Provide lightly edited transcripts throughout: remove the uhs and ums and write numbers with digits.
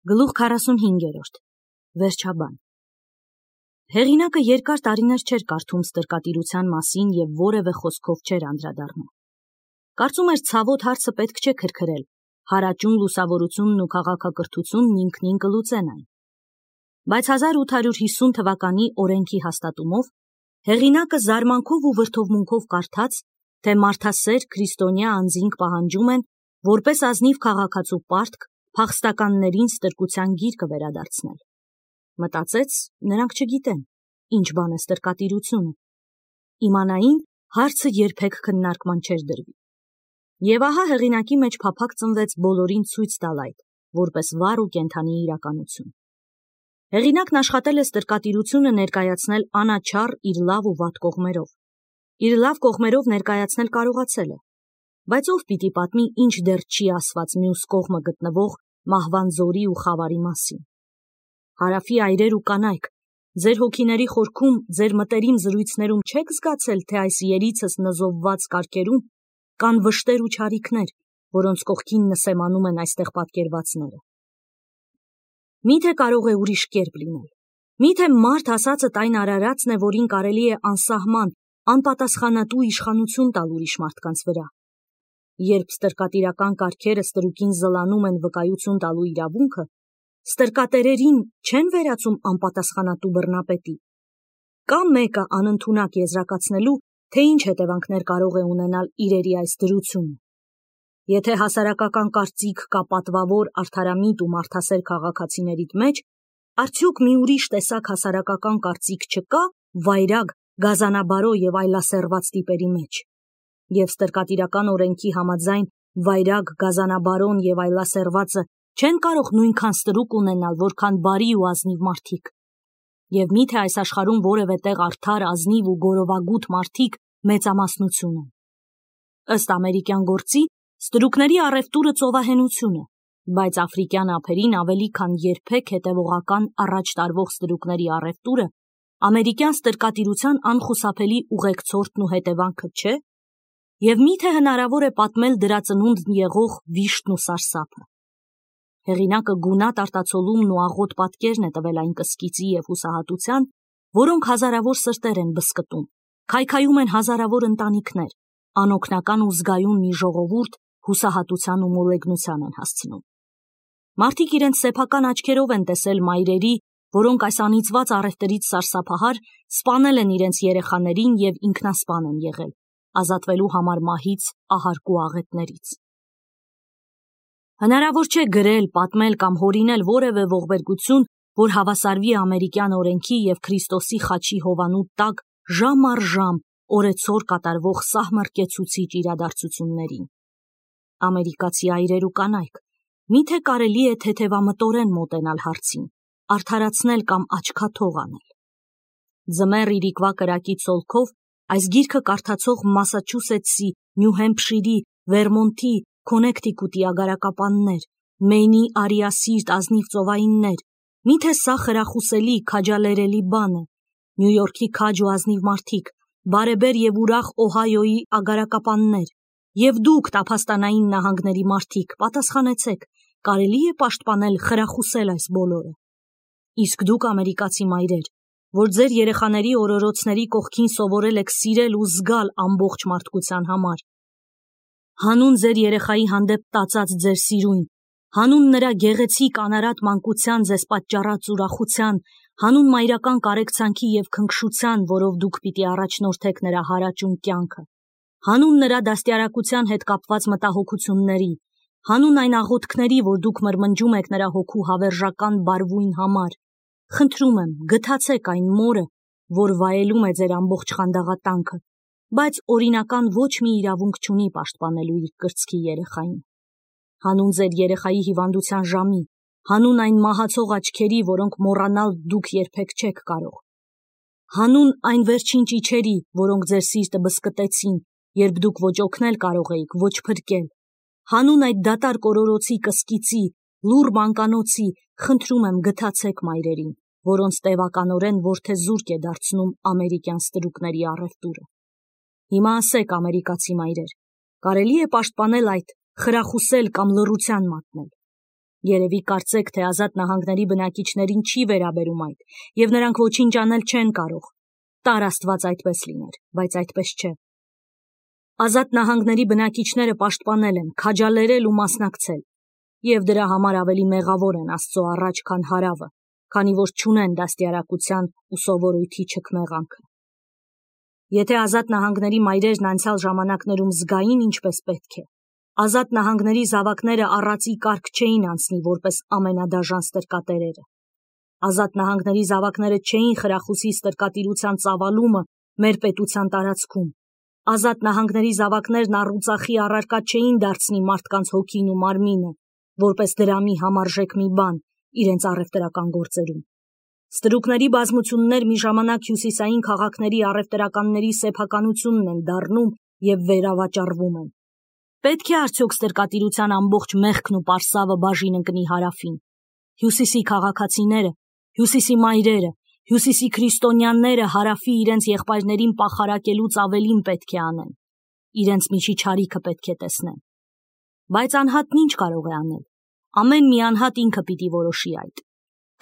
Գլուխ 45. Վերջաբան։ Հեղինակը երկար տարիներ չէր կարդում ստրկատիրության մասին և որևէ խոսքով չէր անդրադառնում։ Կարծում էր ցավոտ հարցը պետք չէ քրքրել, հարաճուն լուսավորությունն ու քաղաքակրթությունն ինքնին կլուծեն այն։ Բայց 1850 թվականի օրենքի հաստատումով հեղինակը զարմանքով ու վրդովմունքով կարդաց, թե մարդասեր քրիստոնյա անձինք պահանջում են, որպես ազնիվ քաղաքացու պարտք, փախստականներին ստրկության գիրկը վերադարձնել։ Մտածեց, նրանք չգիտեն, ինչ բան է ստրկատիրությունը։ Իմանային, հարցը երբեք քննարկման չէր դրվի։ Եվ ահա հեղինակի մեջ փափակ ծնվեց բոլորին ցույց տալ այդ, որպես վառ ու կենդանի իրականություն։ Հեղինակն աշխատել է ստրկատիրությունը ներկայացնել անաչառ իր լավ ու վատ կողմերով։ Իր լավ կողմերով ներկայացնել կարողացել է, բայց ով պիտի պատմի, ինչ դեռ չի ասված մյուս կողմը գտնվող մահվան զորի ու խավարի մասին։ Հարավի այրեր ու կանայք, ձեր հոգիների խորքում, ձեր մտերիմ զրույցներում չեք զգացել, թե այս երիցս նզովված կարգերում կան վշտեր ու չարիքներ, որոնց կողքին նսեմանում են այստեղ պատկերվածները։ Միթե կարող է ուրիշ կերպ լինել։ Միթե մարդ ասածդ այն արարածն է, որին կարելի է անսահման, անպատասխանատու իշխանություն տալ ուրիշ մարդկանց վրա։ Երբ ստրկատիրական կարգերը ստրուկին զլանում են վկայություն տալու իրավունքը, ստրկատերերին չեն վերածում անպատասխանատու բռնապետի։ Կա մեկը անընդունակ եզրակացնելու, թե ինչ հետևանքներ կարող է ունենալ իրերի այս դրությունը։ Եթե հասարակական կարծիք կա պատվավոր, արդարամիտ ու մարդասեր քաղաքացիներիդ մեջ, արդյոք մի ուրիշ տեսակ հասարակական կարծիք չկա վայրագ, գազանաբարո և այլասերված տիպերի մեջ։ Եվ ստրկատիրական օրենքի համաձայն վայրագ, գազանաբարոն և այլասերվածը չեն կարող նույնքան ստրուկ ունենալ, որքան բարի ու ազնիվ մարդիկ։ Եվ միթե այս աշխարհում որևէ տեղ արդար, ազնիվ ու գորովագութ մարդիկ մեծամասնություն են։ Ըստ ամերիկյան գործի, ստրուկների առևտուրը ծովահենություն է, բայց աֆրիկյան ափերին ավելի քան երբեք հետևողական առաջ տարվող ստրուկների առևտուրը ամերիկյան ստրկատիրության անխուսափելի ուղեկցորդն ու հետևանքը չէ։ Եվ միթե հնարավոր է պատմել դրա ծնունդն եղող վիշտն ու սարսափը։ Հեղինակը գունատ արտացոլումն ու աղոտ պատկերն է տվել այն կսկիծի և հուսահատության, որոնք հազարավոր սրտեր են բզկտում, քայքայում են հազարավոր ընտանիքներ, անօգնական ու զգայուն մի ժողովուրդ հուսահատության ու մոլեգնության են հասցնում։ Մարդիկ իրենց սեփական աչքերով են տեսել մայրերի, որոնք այս անիծված առևտրից սարսափահար սպանել են իրենց երեխաներին և ինքնասպան են եղել, ազատվելու համար մահից, ահարկու աղետներից։ Հնարավոր չէ գրել, պատմել կամ հորինել որևէ ողբերգություն, որ հավասարվի ամերիկյան օրենքի և Քրիստոսի խաչի հովանու տակ ժամ առ ժամ օրեցօր կատարվող սահմռկեցուցիչ իրադարձություններին։ Ամերիկացի այրեր ու կանայք, միթե կարելի է թեթևամտորեն մոտենալ հարցին, արդարացնել կամ աչքաթող անել։ Ձմեռ իրիկվա կրակի ցոլքով այս գիրքը կարդացող Մասաչուսեթսի, Նյու Հեմփշիրի, Վերմոնթի, Քոնեկթիկուտի ագարակապաններ, Մեյնի արիասիրտ ազնիվ ծովայիններ, միթե սա խրախուսելի, քաջալերելի բան է։ Նյու Յորքի քաջ ու ազնիվ մարդիկ, բարեբեր և ուրախ Օհայոյի ագարակապաններ, և դուք տափաստանային նահանգների մարդիկ, պատասխանեցեք, կարելի է պաշտպանել, խրախուսել այս բոլորը։ Իսկ դուք ամերիկացի մայրեր, որ ձեր երեխաների օրորոցների կողքին սովորել եք սիրել ու զգալ ամբողջ մարդկության համար։ Հանուն ձեր երեխայի հանդեպ տածած ձեր սիրույն, հանուն նրա գեղեցիկ անարատ մանկության ձեզ պատճառած ուրախության, հանուն մայրական կարեկցանքի և քնքշության, որով դուք պիտի առաջնորդեք նրա հարաճուն կյանքը, հանուն նրա դաստիարակության հետ կապված մտահոգությունների, հանուն այն աղոթքների, որ դուք մրմնջում եք նրա հոգու հավերժական բարվույն համար, խնդրում եմ, գթացեք այն մորը, որ վայելում է ձեր ամբողջ խանդաղատանքը, բայց օրինական ոչ մի իրավունք չունի պաշտպանելու իր կրծքի երեխային։ Հանուն ձեր երեխայի հիվանդության ժամի, հանուն այն մահացող աչքերի, որոնք մոռանալ դուք երբեք չեք կարող։ Հանուն այն վերջին ճիչերի, որոնք ձեր սիրտը բզկտեցին, երբ դուք ոչ օգնել կարող էիք, ոչ փրկել։ Հանուն այդ դատարկ օրորոցի կսկիծի, լուռ մանկանոցի, խնդրում եմ գթացեք մայրերին, որոնց տևականորեն որդեզուրկ է դարձնում ամերիկյան ստրուկների առևտուրը։ Հիմա ասեք, ամերիկացի մայրեր, կարելի է պաշտպանել այդ, խրախուսել կամ լռության մատնել։ Երևի կարծեք, թե Ազատ նահանգների բնակիչներին չի վերաբերում այդ, եւ նրանք ոչինչ անել չեն կարող։ Տար Աստված այդպես լիներ, բայց այդպես չէ։ Ազատ նահանգների բնակիչները պաշտպանել են, քաջալերել ու մասնակցել, եւ դրա համար ավելի մեղավոր են Աստծո առաջ, քան հարավը, քանի որ չունեն դաստիարակության ու սովորույթի չքմեղանքը։ Եթե Ազատ նահանգների մայրերն անցյալ ժամանակներում զգային ինչպես պետք է, Ազատ նահանգների զավակները առածի կարգ չէին անցնի որպես ամենադաժան ստրկատերերը։ Ազատ նահանգների զավակները չէին խրախուսի ստրկատիրության ծավալումը մեր պետության տարածքում։ Ազատ նահանգների զավակներն առուծախի առարկա չէին դարձնի մարդկանց հոգին ու մարմինը, որպես դրամի համարժեք մի բան իրենց առևտրական գործերում։ Ստրուկների բազմություններ մի ժամանակ հյուսիսային քաղաքների առևտրականների սեփականությունն են դառնում եւ վերավաճառվում են։ Պետք է արդյոք ստրկատիրության ամբողջ մեղքն ու պարսավը բաժին ընկնի հարավին։ Հյուսիսի քաղաքացիները, հյուսիսի մայրերը, հյուսիսի քրիստոնյաները հարավի իրենց եղբայրներին պախարակելուց ավելին պետք է անեն։ Իրենց միջիչարիքը պետք է տեսնեն։ Բայց անհատն ինչ կարող է անել։ Ամեն մի անհատ ինքը պիտի որոշի այդ։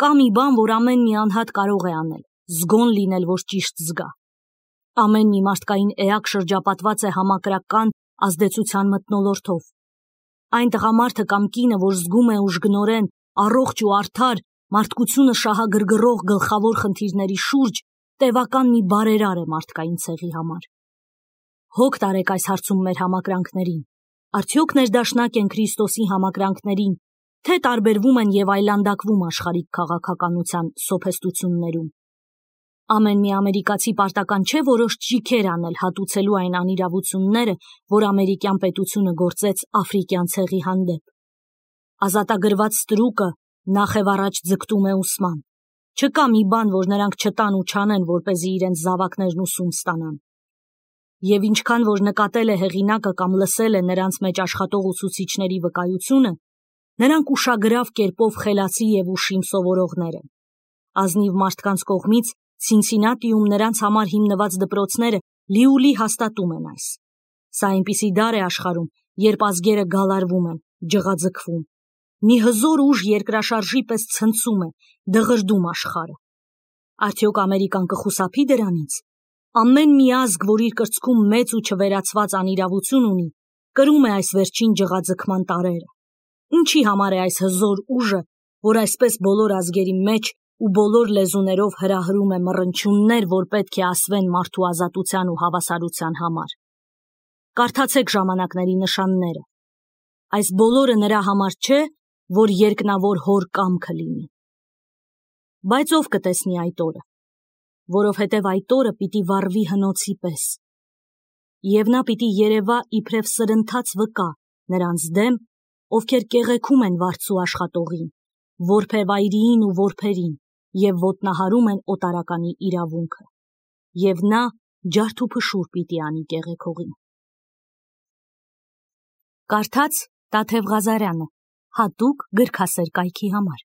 Կա մի բան, որ ամեն մի անհատ կարող է անել, զգոն լինել, որ ճիշտ զգա։ Ամեն մի մարդկային էակ շրջապատված է համակրական ազդեցության մթնոլորտով։ Այն տղամարդը կամ կինը, որ զգում է ուժգնորեն, առողջ ու արդար, մարդկությունը շահագրգռող գլխավոր խնդիրների շուրջ, տևական մի բարերար է մարդկային ցեղի համար։ Հոգ տարեք այս հարցում մեր համակրանքներին։ Արդյոք ներդաշնակ են Քրիստոսի համակրանքներին, թե տարբերվում են եւ այլանդակվում աշխարհիկ քաղաքականության սոփեստություններում։ Ամեն մի ամերիկացի պարտական չէ որոշ ճիքեր անել հատուցելու այն անիրավությունները, որ ամերիկյան պետությունը գործեց աֆրիկյան ցեղի հանդեպ։ Ազատագրված ստրուկը նախ եւ առաջ ձգտում է ուսման։ Չկա մի բան, որ նրանք չտան ու չանեն, որպեսզի իրենց զավակներն ուսում ստանան։ Եվ ինչքան որ նկատել է հեղինակը կամ լսել է նրանց մեջ աշխատող ուսուցիչների վկայությունը, նրանք ուշագրավ կերպով խելացի եւ ուշիմ սովորողներ են։ Ազնիվ մարդկանց կողմից Ցինցինատիում նրանց համար հիմնված դպրոցները լիուլի հաստատում են այս։ Սա այնպիսի դար է աշխարհում, երբ ազգերը գալարվում են, ջղաձգվում։ Մի հզոր ուժ երկրաշարժի պես ցնցում է, դղրդում աշխարհը։ Արդյոք Ամերիկան կխուսափի դրանից։ Ամեն մի ազգ, որ իր կրծքում մեծ ու չվերացված անիրավություն ունի, կրում է այս վերջին ջղաձգման տարրերը։ Ինչի համար է այս հզոր ուժը, որ այսպես բոլոր ազգերի մեջ ու բոլոր լեզուներով հրահրում է մռնչյուններ, որ պետք է ասվեն մարդու ազատության ու հավասարության համար։ Կարդացեք ժամանակների նշանները։ Այս բոլորը նրա համար չէ, որ երկնավոր հոր կամքը լինի։ Բայց ով կտեսնի այդ օրը, որովհետև այդ օրը պիտի վառվի հնոցի պես։ Եվ նա պիտի երևա իբրև սրընթաց վկա նրանց դեմ, ովքեր կեղեքում են վարձու աշխատողին, որբևայրիին ու որբերին, եւ ոտնահարում են օտարականի իրավունքը, եւ նա ջարդ ու փշուր պիտի անի կեղեքողին։ Կարդաց Տաթև Ղազարյանը, հատուկ գրքասեր կայքի համար։